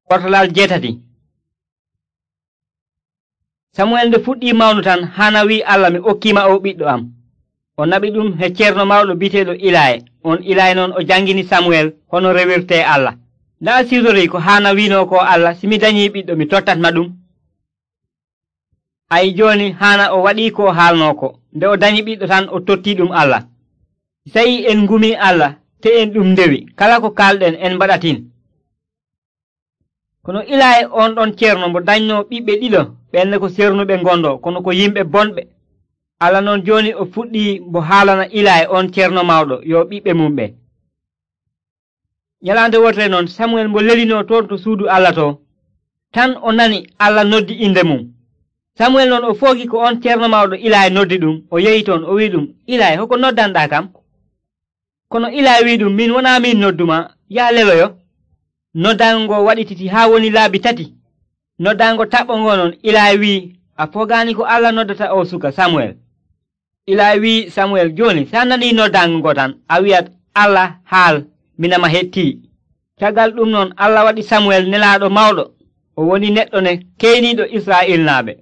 Ɓortalal 7. Samuel nde fuɗɗi mawnu tan Hana wi Allah, mi okkiima o ɓiɗɗo am. O naɓi ɗum he ceerno mawɗo biteeɗo Ilaye. On Ilaye noon o jangini Samuel hono rewirte Allah. Ndaa siwtorii ko Hana wiino ko Allah, simi danyii ɓiɗɗo mi tottatma ɗum. Ayi jooni Hana o waɗii ko haalnoo ko. Nde o danyi ɓiɗɗo tan o tottii ɗum Allah. Sayi en ngumii Allah, te en ɗum ndewi, kala ko kalɗen en mbaɗatin. Kono Ilaye on ɗon ceerno mo danyno ɓiɓɓe ɗiɗo, ɓenne ko sernuɓe ngondo, kono ko yimɓe bonɓe. Allah noon jooni o fuɗɗii mo haalana Ilaye on ceerno mawɗo yo ɓiɓɓe mum ɓe. Nyalaande wotere noon Samuel mo lelinoo toon to suudu Allah to, tan o nani Allah noddi inde mum. Samuel noon o foogi ko on ceerno mawɗo Ilaye noddi ɗum, o yehi toon o wi ɗum, Ilaye hoko noddanɗaa kam? Kono Ilaye wi ɗum, min wonaa min nodduma, yaa leloyo. Noddaango ngo waɗititi haa woni laabi 3. Noddaango taɓɓongo noon Ilaye wi, a fogaani ko Allah noddata o suka Samuel? Ilaye wi Samuel, jooni sa nanii noddaango ngo tan a wi'at Allah haal, minama hettii. Caggal ɗum noon Allah waɗi Samuel nelaaɗo mawɗo, o woni neɗɗo ne keyniiɗo Israa'il naaɓe.